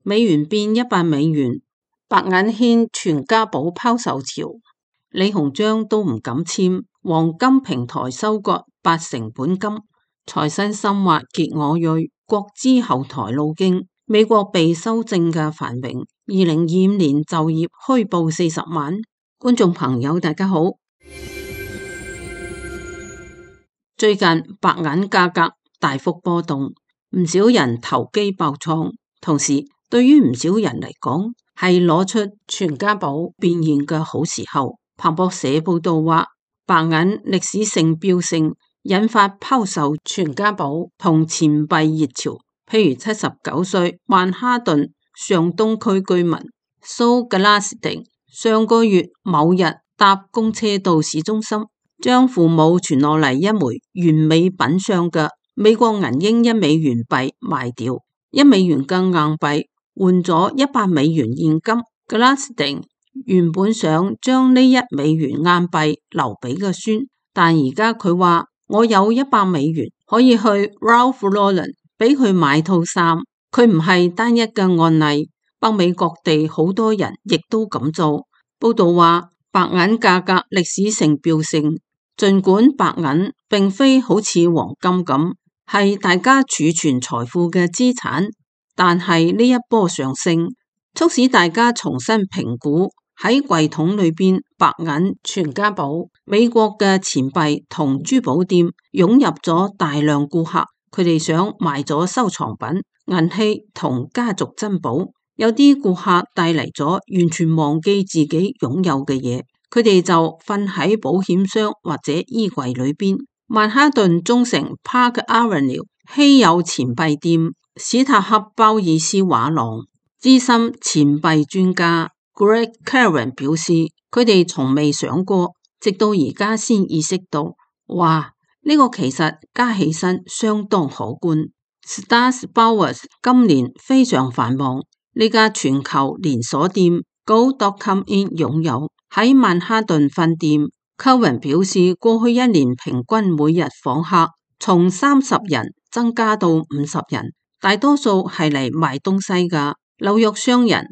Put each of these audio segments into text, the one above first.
美元變$100，白銀掀全家寶拋售潮，李鴻章都唔敢簽，黃金平台收割80%本金，財新深挖傑我銳，國資後台路徑，美國被修正嘅繁榮，2025年就業虛報40萬。觀眾朋友大家好，最近白銀價格大幅波動，唔少人投機爆倉，同時對於唔少人嚟講係攞出全家寶變現嘅好時候。彭博社報道話，白銀歷史性飆升，引發拋售全家寶同錢幣熱潮。譬如79歲曼哈頓上東區居民蘇格拉斯汀上個月某日搭公車到市中心，將父母傳落嚟一枚完美品相嘅美國銀鷹$1幣賣掉，$1嘅硬幣換咗$100現金。格拉斯汀原本想將呢$1硬幣留俾個孫，但而家佢話我有$100可以去 Ralph Lauren 俾佢買套衫。佢唔係單一嘅案例，北美各地好多人亦都咁做。報道話白銀價格歷史性飆升，儘管白銀並非好似黃金咁係大家儲存財富嘅資產，但係呢一波上升促使大家重新評估喺櫃桶裏邊白銀全家寶。美國嘅錢幣同珠寶店湧入咗大量顧客，佢哋想賣咗收藏品、銀器同家族珍寶。有啲顧客帶嚟咗完全忘記自己擁有嘅嘢，佢哋就瞓喺保險箱或者衣櫃裏邊。曼哈頓中城 Park Avenue 稀有錢幣店史塔克鮑爾斯畫廊資深錢幣專家 Greg Karen 表示，佢哋從未想過，直到而家先意識到，哇，呢個其實加起身相當可觀。Stars Bowers 今年非常繁忙，呢家全球連鎖店 Go.com In 擁有喺曼哈頓分店。Karen 表示，過去一年平均每日訪客從30人增加到50人，大多數係嚟買東西噶。紐約商人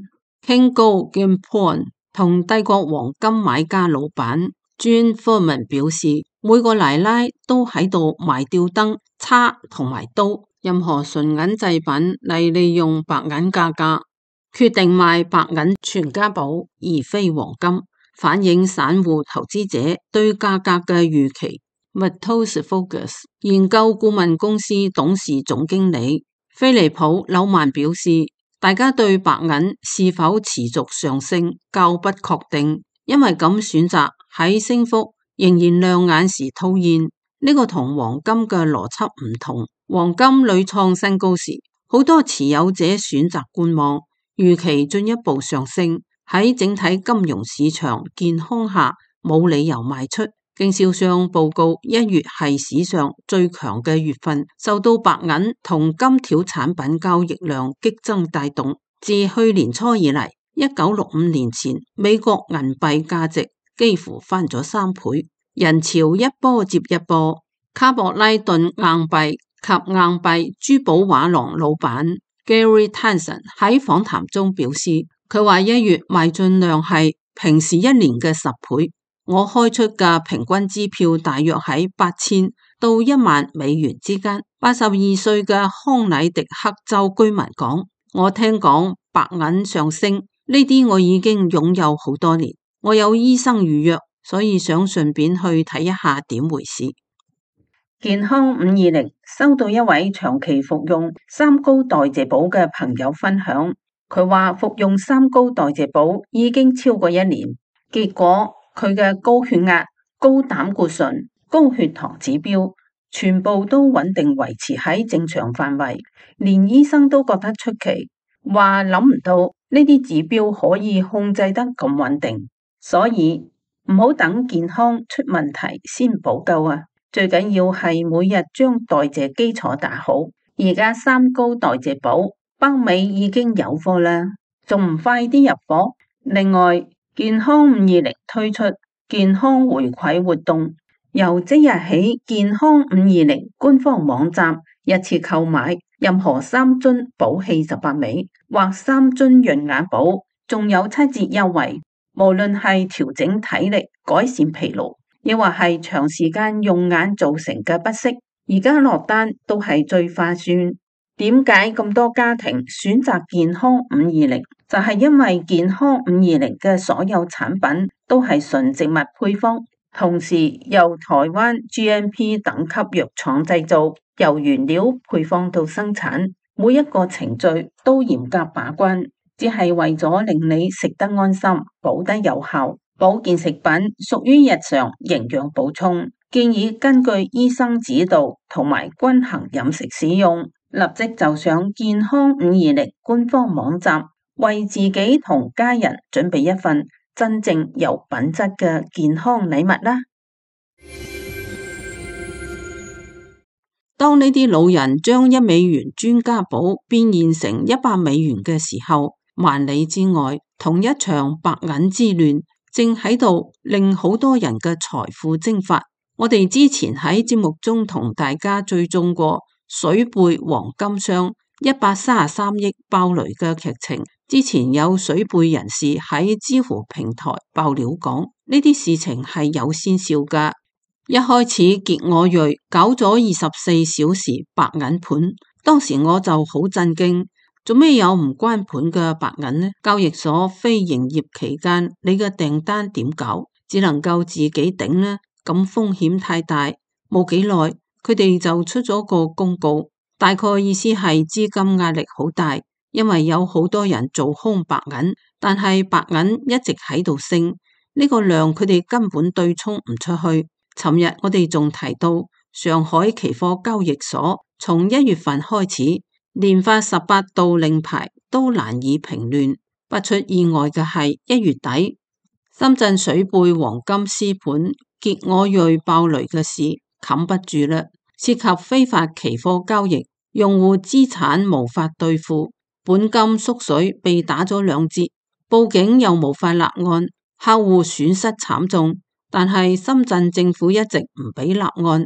King Gold Gamepon 同帝國黃金買家老闆 Jean Furman 表示，每個奶奶都喺度賣吊燈、叉同埋刀，任何純銀製品嚟利用白銀價格，決定賣白銀全家寶而非黃金，反映散戶投資者對價格嘅預期。Matos Focus 研究顧問公司董事總經理菲利普紐曼表示，大家對白銀是否持續上升較不確定，因為咁選擇喺升幅仍然亮眼時套現，呢個同黃金嘅邏輯唔同。黃金屢創新高時，好多持有者選擇觀望，預期進一步上升。喺整體金融市場健康下，冇理由賣出。經銷商報告1月係史上最強嘅月份，受到白銀同金條產品交易量激增帶動。自去年初以嚟，1965年前美國銀幣價值幾乎翻咗3倍，人潮一波接一波。卡博拉頓硬幣及硬幣珠寶畫廊老闆 Gary Tanson 喺訪談中表示，佢話1月賣進量係平時一年嘅10倍。我開出嘅平均支票大約喺8000到$10,000之間。82歲嘅康乃狄克州居民講，我聽講白銀上升，呢啲我已經擁有好多年。我有醫生預約，所以想順便去睇一下點回事。健康520收到一位長期服用三高代謝寶嘅朋友分享，佢話服用三高代謝寶已經超過1年，結果佢嘅高血壓、高膽固醇、高血糖指標全部都穩定維持喺正常範圍，連醫生都覺得出奇，話諗唔到呢啲指標可以控制得咁穩定，所以唔好等健康出問題先補救啊！最緊要係每日將代謝基礎打好。而家三高代謝寶北美已經有貨啦，仲唔快啲入貨？另外，健康520推出健康回饋活動，由即日起健康520官方網站日次購買任何3樽補氣18味或3樽潤眼寶，仲有7折優惠。無論係調整體力、改善疲勞，亦或係長時間用眼造成嘅不適，而家落單都係最划算。點解咁多家庭選擇健康520？就係因為健康520嘅所有產品都係純植物配方，同時由台灣 GMP 等級藥廠製造，由原料配方到生產，每一個程序都嚴格把關，只係為咗令你食得安心、補得有效。保健食品屬於日常營養補充，建議根據醫生指導同埋均衡飲食使用。立即就上健康520官方網站，為自己同家人準備一份真正有品質嘅健康禮物啦！當呢啲老人將1美元專家寶變現成100美元嘅時候，萬里之外，同一場白銀之亂正喺度令好多人嘅財富蒸發。我哋之前喺節目中同大家追蹤過水貝黃金商133億爆雷嘅劇情，之前有水貝人士喺知乎平台爆料講，呢啲事情係有先兆噶。一開始傑我瑞搞咗24小時白銀盤，當時我就好震驚，做咩有唔關盤嘅白銀呢？交易所非營業期間，你嘅訂單點搞？只能夠自己頂呢？咁風險太大。冇幾耐，佢哋就出咗個公告，大概意思係資金壓力好大，因為有好多人做空白銀，但係白銀一直喺度升，呢個量佢哋根本對沖唔出去。尋日我哋仲提到上海期貨交易所從1月份開始連發18道令牌都難以平亂，不出意外嘅係1月底深圳水貝黃金絲盤傑我瑞爆雷嘅事冚不住啦，涉及非法期貨交易，用戶資產無法兌付，本金縮水被打咗2折，報警又無法立案，客戶損失慘重。但係深圳政府一直唔俾立案。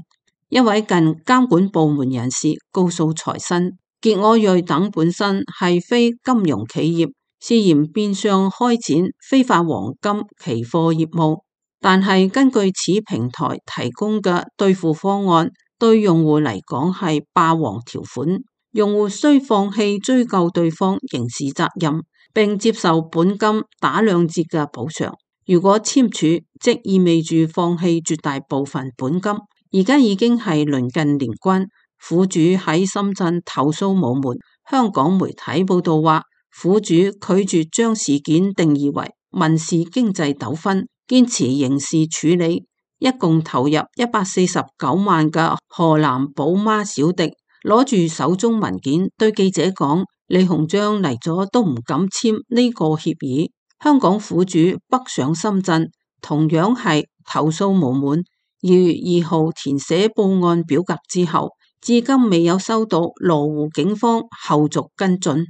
一位近監管部門人士告訴財新，傑我瑞等本身係非金融企業，涉嫌變相開展非法黃金期貨業務。但係根據此平台提供嘅兌付方案，對用戶嚟講係霸王條款，用戶需放棄追究對方刑事責任，並接受本金打2折嘅補償。如果簽署，即意味住放棄絕大部分本金。而家已經係鄰近年關，苦主喺深圳投訴無門。香港媒體報道話，苦主拒絕將事件定義為民事經濟糾紛，堅持刑事處理。一共投入149萬嘅河南寶媽小迪攞住手中文件對記者講，李鴻章嚟咗都唔敢簽呢個協議。香港苦主北上深圳，同樣係投訴無門。2月2號填寫報案表格之後，至今未有收到羅湖警方後續跟進。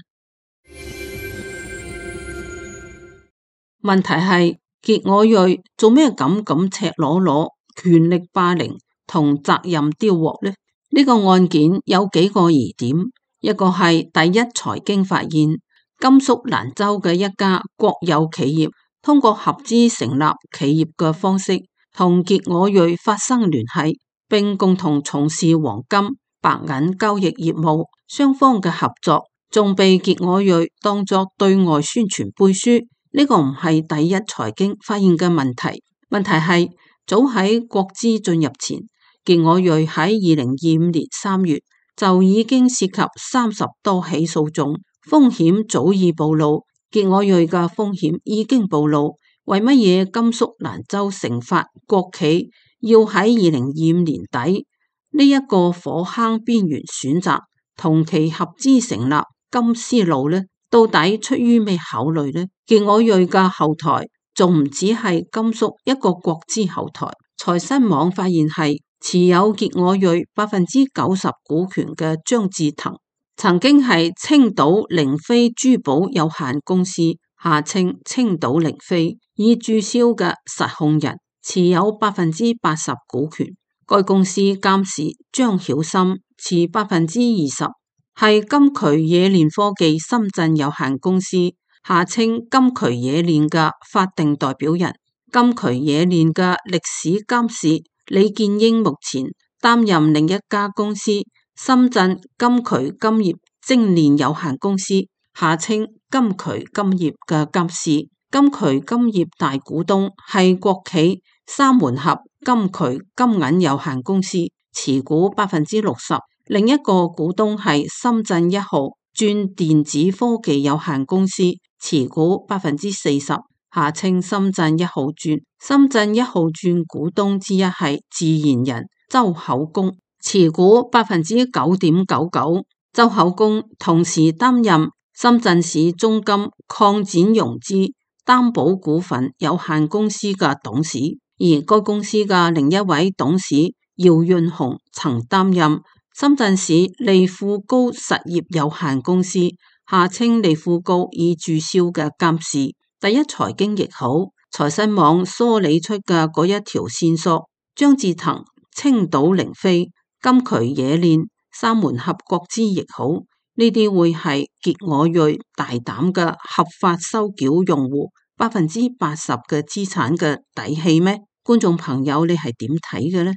問題係傑我瑞做咩咁赤裸裸、權力霸凌同責任丟鑊呢？呢個案件有幾個疑點，一個係第一財經發現甘肅蘭州嘅一家國有企業通過合資成立企業嘅方式同傑我瑞發生聯繫，並共同從事黃金、白銀交易業務。雙方嘅合作仲被傑我瑞當作對外宣傳背書。呢個唔係第一財經發現嘅問題。問題係早喺國資進入前，傑我瑞喺2025年3月就已經涉及30多起訴訟，風險早已暴露。傑我瑞嘅風險已經暴露，為乜嘢甘肅蘭州成發國企要喺2025年底呢一個火坑邊緣選擇同其合資成立金絲路呢？到底出於咩考慮呢？傑我瑞嘅後台仲唔只係甘肅一個國資後台？財新網發現係持有傑我瑞90%股權嘅張志騰，曾經係青島凌飛珠寶有限公司下稱青島凌飛已註銷嘅實控人，持有80%股權。該公司監事張曉森持20%。係金渠冶煉科技深圳有限公司（下稱金渠冶煉）嘅法定代表人。金渠冶煉嘅歷史監事李建英目前擔任另一家公司深圳金渠金業精煉有限公司（下稱金渠金業）嘅監事。金渠金業大股東係國企三門峽金渠金銀有限公司，持股60%。另一個股東係深圳一號鑽電子科技有限公司，持股40%，下稱深圳一號鑽。深圳一號鑽股東之一係自然人周厚工，持股9.99%。周厚工同時擔任深圳市中金擴展融資擔保股份有限公司嘅董事，而該公司嘅另一位董事姚潤雄曾擔任深圳市利富高實業有限公司（下稱利富高）已註銷嘅監事。第一財經亦好，財新網梳理出嘅嗰一條線索，張志騰、青島凌飛、金渠冶煉、三門峽國資亦好，呢啲會係傑我銳大膽嘅合法收繳用戶80%嘅資產嘅底氣咩？觀眾朋友，你係點睇嘅呢？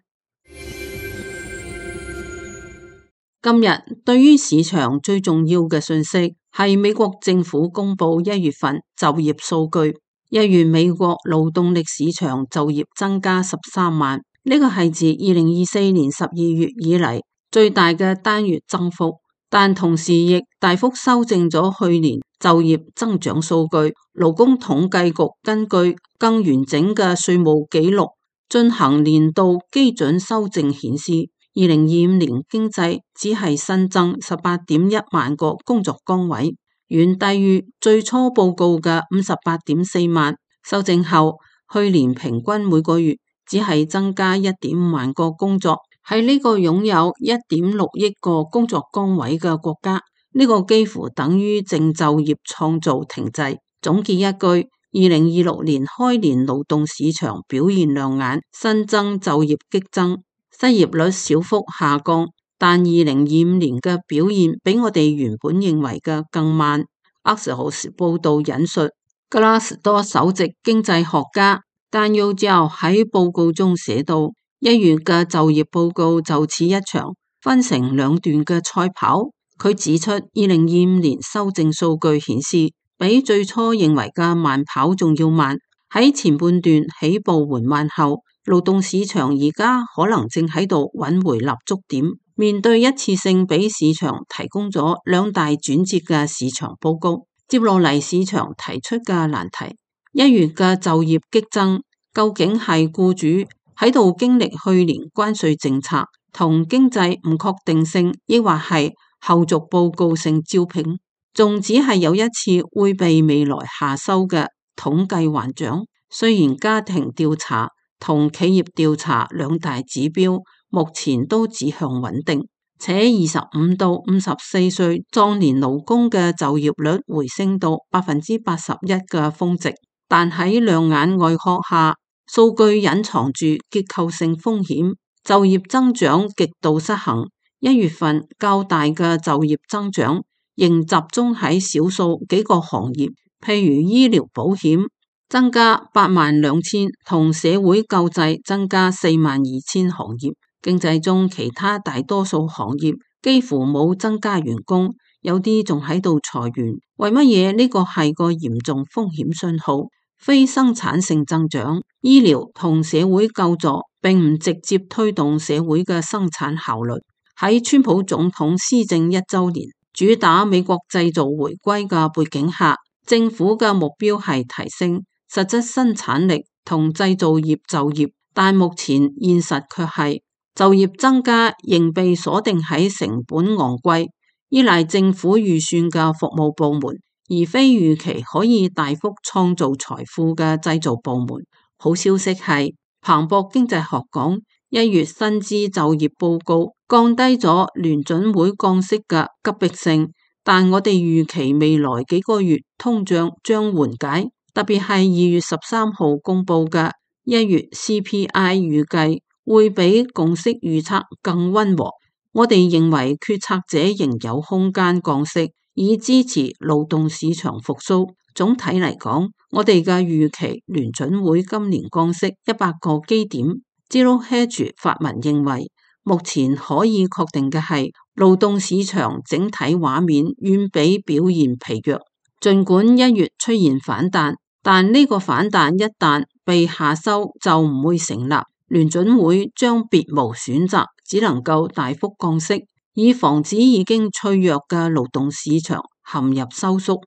今日對於市場最重要嘅信息係美國政府公布1月份就業數據。1月美國勞動力市場就業增加13萬，呢個係自2024年12月以嚟最大嘅單月增幅，但同時亦大幅修正咗去年就業增長數據。勞工統計局根據更完整嘅稅務記錄進行年度基準修正顯示，2025年經濟只係新增18.1萬個工作崗位，遠低於最初報告嘅58.4萬。修正後，去年平均每個月只係增加1.5萬個工作。喺呢個擁有1.6億個工作崗位嘅國家，呢個幾乎等於淨就業創造停滯。總結一句，2026年開年勞動市場表現亮眼，新增就業激增。失業率小幅下降，但2025年嘅表現比我哋原本認為嘅更慢。Axios 報道引述格拉斯多首席經濟學家丹尤焦喺報告中寫道，1月嘅就業報告就似一場分成兩段嘅賽跑。佢指出，2025年修正數據顯示，比最初認為嘅慢跑仲要慢。喺前半段起步緩慢後，勞動市場而家可能正喺度揾回立足點，面對一次性俾市場提供咗2大轉折嘅市場報告。接落嚟市場提出嘅難題，1月嘅就業激增，究竟係僱主喺度經歷去年關稅政策同經濟唔確定性，抑或係後續報告性招聘，仲只係有一次會被未來下收嘅統計幻象？雖然家庭調查同企業調查2大指標目前都指向穩定，且25到54歲壯年勞工嘅就業率回升到81%嘅峰值，但喺亮眼外殼下，數據隱藏住結構性風險，就業增長極度失衡。1月份較大嘅就業增長仍集中喺少數幾個行業，譬如醫療保險增加82000，同社會救濟增加42000行業。經濟中其他大多數行業幾乎冇增加員工，有啲仲喺度裁員。為乜嘢？呢個係個嚴重風險信號。非生產性增長、醫療同社會救助並唔直接推動社會嘅生產效率。喺川普總統施政1週年，主打美國製造回歸嘅背景下，政府嘅目標係提升實質生產力同製造業就業，但目前現實卻係就業增加仍被鎖定喺成本昂貴、依賴政府預算嘅服務部門，而非預期可以大幅創造財富嘅製造部門。好消息係，彭博經濟學講1月薪資就業報告降低咗聯準會降息嘅急迫性，但我哋預期未來幾個月通脹將緩解，特別係2月13號公佈嘅1月 CPI 預計會比共識預測更溫和。我哋認為決策者仍有空間降息，以支持勞動市場復甦。總體嚟講，我哋嘅預期聯準會今年降息100個基點。Zero Hedge 發文認為，目前可以確定嘅係，勞動市場整體畫面遠比表現疲弱。儘管1月出現反彈，但呢個反彈一旦被下收就唔會成立。聯準會將別無選擇，只能夠大幅降息，以防止已經脆弱嘅勞動市場陷入收縮。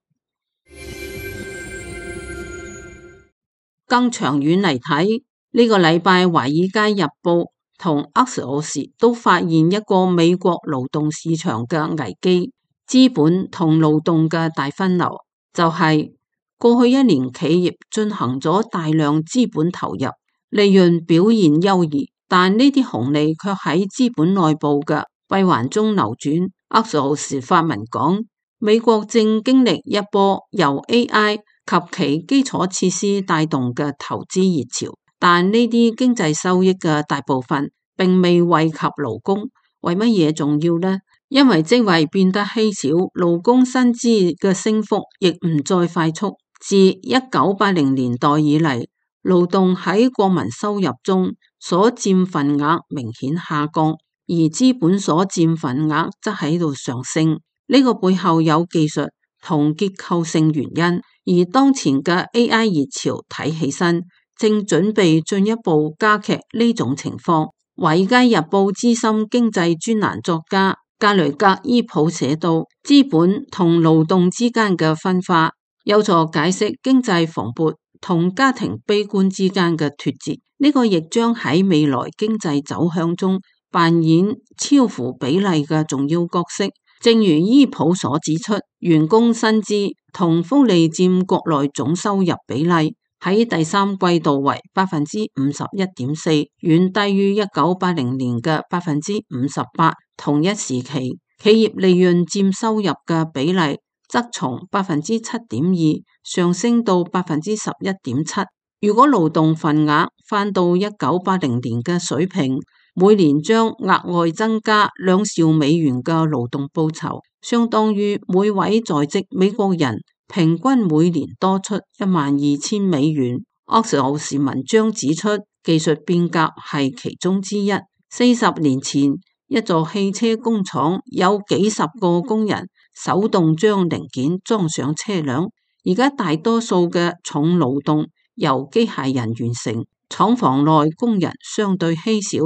更長遠嚟睇，呢個禮拜《華爾街日報》同 Axios 都發現一個美國勞動市場嘅危機，資本同勞動嘅大分流，就係過去1年企業進行咗大量資本投入，利潤表現優異，但呢啲紅利卻喺資本內部嘅閉環中流轉。Axios 發文講，美國正經歷一波由 AI 及其基礎設施帶動嘅投資熱潮，但呢啲經濟收益嘅大部分並未惠及勞工。為乜嘢重要呢？因為職位變得稀少，勞工薪資嘅升幅亦唔再快速。自1980年代以嚟，勞動喺國民收入中所佔份額明顯下降，而資本所佔份額則喺度上升。呢個背後有技術同結構性原因，而當前嘅 AI 熱潮睇起身正準備進一步加劇呢種情況。華爾街日報資深經濟專欄作家格雷格伊普寫道，資本同勞動之間嘅分化有助解釋經濟蓬勃同家庭悲觀之間嘅脫節，呢個亦將喺未來經濟走向中扮演超乎比例嘅重要角色。正如伊普所指出，員工薪資同福利佔國內總收入比例喺第三季度為51.4%，遠低於1980年嘅58%。同一時期，企業利潤佔收入嘅比例則從7.2%上升到11.7%。如果勞動份額返到1980年嘅水平，每年將額外增加2兆美元嘅勞動報酬，相當於每位在職美國人平均每年多出12000美元。Axios文章指出，技術變革係其中之一。40年前，一座汽車工廠有幾十個工人手動將零件裝上車輛，而家大多數嘅重勞動由機械人完成，廠房內工人相對稀少。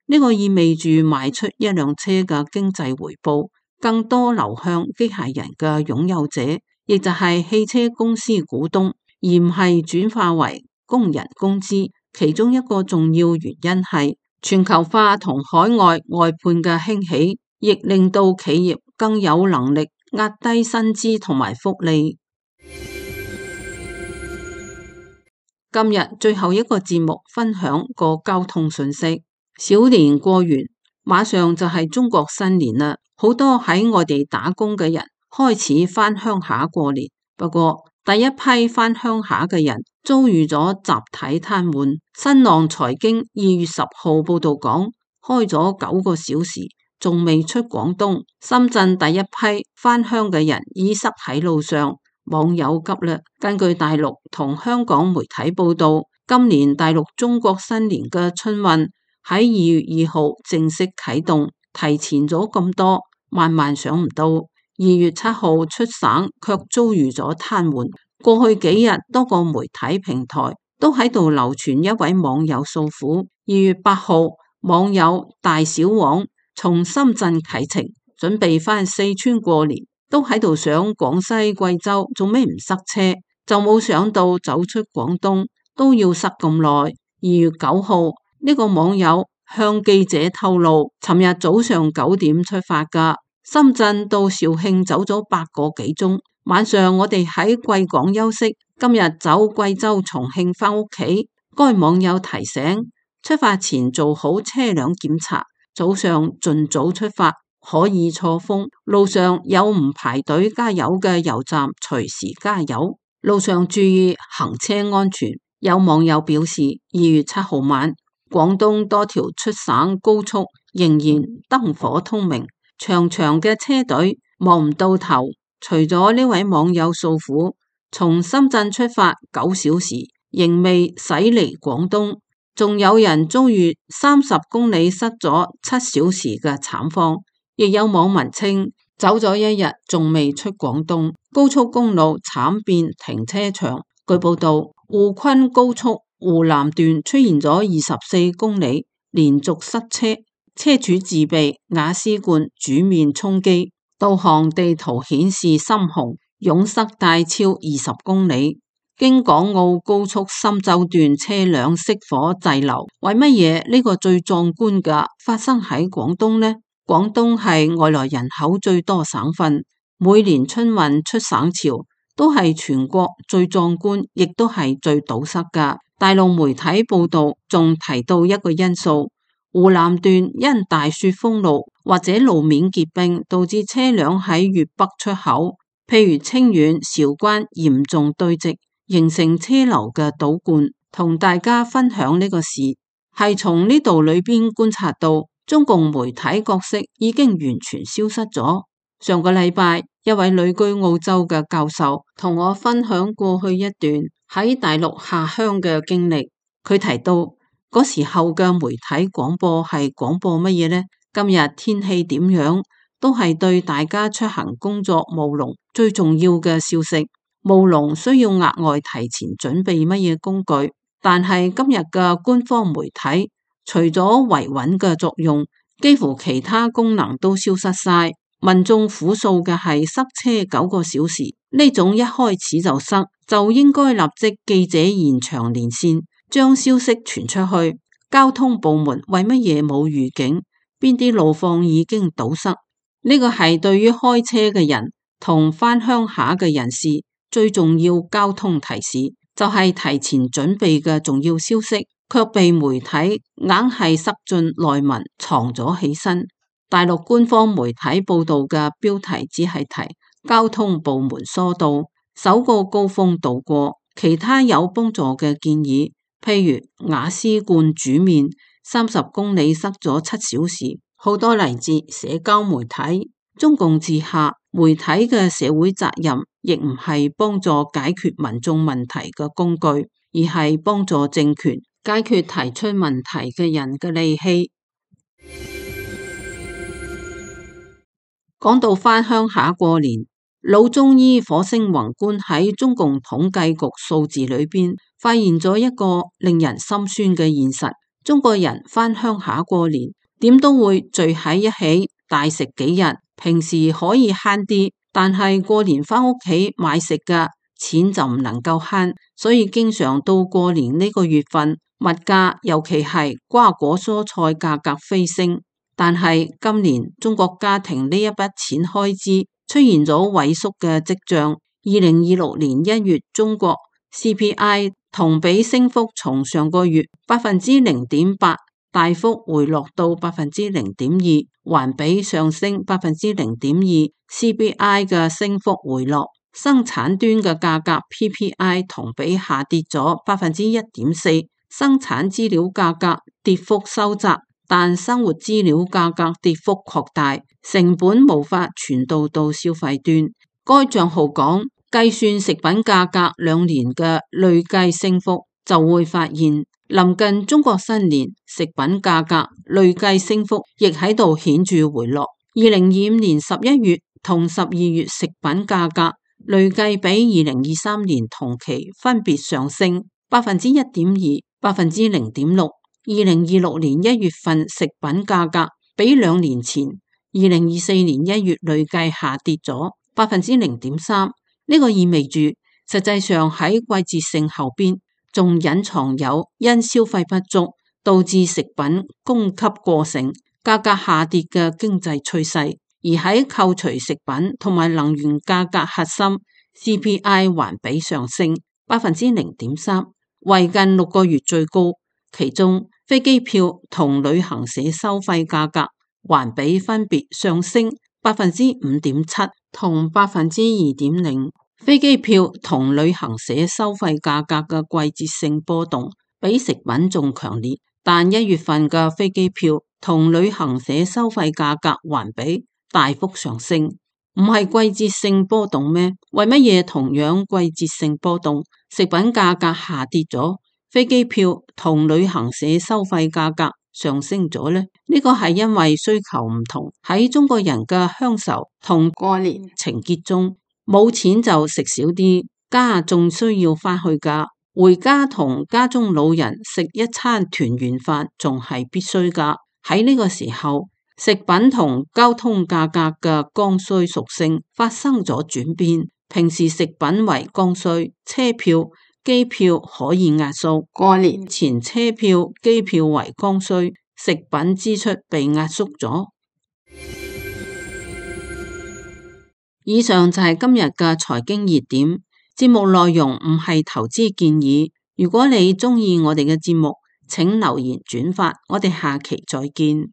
呢個意味住賣出一輛車嘅經濟回報更多流向機械人嘅擁有者，亦就係汽車公司股東，而唔係轉化為工人工資。其中一個重要原因係全球化同海外外判嘅興起，亦令到企業更有能力壓低薪資同埋福利。今日最後一個節目分享個交通信息。小年過完，馬上就係中國新年啦，好多喺外地打工嘅人開始返鄉下過年。不過第一批返鄉下嘅人遭遇咗集體癱瘓。新浪財經2月10號報道講，開咗9個小時，仲未出廣東。深圳第一批返鄉嘅人已塞喺路上，網友急啦。根據大陸同香港媒體報道，今年大陸中國新年嘅春運喺2月2號正式啟動，提前咗咁多，萬萬想唔到2月7號出省卻遭遇咗癱瘓。過去幾日多個媒體平台都喺度流傳一位網友訴苦。2月8號，網友大小王從深圳啟程，準備返四川過年，都喺度想廣西貴州做咩唔塞車，就冇想到走出廣東都要塞咁耐。2月9號，呢個網友向記者透露，尋日早上9點出發㗎，深圳到肇慶走咗8個幾鐘，晚上我哋喺貴港休息，今日走貴州重慶返屋企。該網友提醒，出發前做好車輛檢查，早上盡早出發，可以錯峰，路上有唔排隊加油嘅油站，隨時加油，路上注意行車安全。有網友表示，2月7號晚廣東多條出省高速仍然燈火通明，長長嘅車隊望唔到頭。除咗呢位網友訴苦，從深圳出發9小時仍未駛離廣東，仲有人遭遇30公里塞咗7小時嘅慘況。亦有網民稱走咗1日仲未出廣東，高速公路慘變停車場。據報道，滬昆高速湖南段出現咗24公里連續塞車，車主自備瓦斯罐煮麵充飢。導航地圖顯示深紅，擁塞大超20公里。京港澳高速深州段車輛熄火滯留，為乜嘢呢個最壯觀嘅發生喺廣東呢？廣東係外來人口最多省份，每年春運出省潮都係全國最壯觀，亦都係最堵塞噶。大陸媒體報道仲提到一個因素，湖南段因大雪封路或者路面結冰，導致車輛喺粵北出口，譬如清遠、韶關嚴重堆積，形成車流嘅倒灌。同大家分享呢個事，係從呢度裏邊觀察到中共媒體角色已經完全消失咗。上個禮拜，一位旅居澳洲嘅教授同我分享過去一段喺大陸下鄉嘅經歷。佢提到嗰時候嘅媒體廣播係廣播乜嘢呢？今日天氣點樣都係對大家出行工作務農最重要嘅消息。務農需要額外提前準備乜嘢工具，但係今日嘅官方媒體除咗維穩嘅作用，幾乎其他功能都消失晒。民眾苦訴嘅係塞車9個小時，呢種一開始就塞，就應該立即記者現場連線，將消息傳出去。交通部門為乜嘢冇預警？邊啲路況已經堵塞？呢個係對於開車嘅人同返鄉下嘅人士最重要交通提示，就係提前準備嘅重要消息，卻被媒體硬係塞進內文藏咗起身。大陸官方媒體報道嘅標題只係提交通部門疏導，首個高峰度過，其他有幫助嘅建議，譬如瓦斯罐煮麵30公里塞咗7小時，好多嚟自社交媒體。中共治下媒體嘅社會責任亦唔係幫助解決民眾問題嘅工具，而係幫助政權解決提出問題嘅人嘅利器。講到返鄉下過年，老中醫火星宏觀喺中共統計局數字裏邊發現咗一個令人心酸嘅現實：中國人返鄉下過年，點都會聚喺一起大食幾日。平時可以慳啲，但係過年返屋企買食嘅錢就唔能夠慳，所以經常到過年呢個月份，物價尤其係瓜果蔬菜價格飛升。但係今年中國家庭呢一筆錢開支出現咗萎縮嘅跡象。2026年1月中國 CPI 同比升幅從上個月0.8%大幅回落到0.2%，環比上升0.2%。CPI 嘅升幅回落，生產端嘅價格 PPI 同比下跌咗1.4%，生產資料價格跌幅收窄，但生活資料價格跌幅擴大，成本無法傳導到消費端。該賬號講，計算食品價格2年嘅累計升幅，就會發現臨近中國新年，食品價格累計升幅亦喺度顯著回落。2025年11月同12月食品價格累計比2023年同期分別上升1.2%、0.6%。2026年1月份食品價格比2年前2024年1月累計下跌咗0.3%。呢個意味住，實際上喺季節性後邊仲隱藏有因消費不足導致食品供給過剩、價格下跌嘅經濟趨勢。而喺扣除食品同埋能源價格核心 CPI 環比上升0.3%，為近6個月最高。其中飛機票同旅行社收費價格環比分別上升5.7%同2.0%。飛機票同旅行社收費價格嘅季節性波動比食品仲強烈，但1月份嘅飛機票同旅行社收費價格環比大幅上升，唔係季節性波動咩？為乜嘢同樣季節性波動，食品價格下跌咗，飛機票同旅行社收費價格上升咗呢？呢個係因為需求唔同。喺中國人嘅鄉愁同過年情結中，冇錢就食少啲，家仲需要返去㗎。回家同家中老人食一餐團圓飯仲係必須㗎。喺呢個時候，食品同交通價格嘅剛需屬性發生咗轉變。平時食品為剛需，車票、機票可以壓縮；過年前車票、機票為剛需，食品支出被壓縮咗。以上就係今日嘅財經熱點。節目內容唔係投資建議。如果你鍾意我哋嘅節目，請留言轉發。我哋下期再見。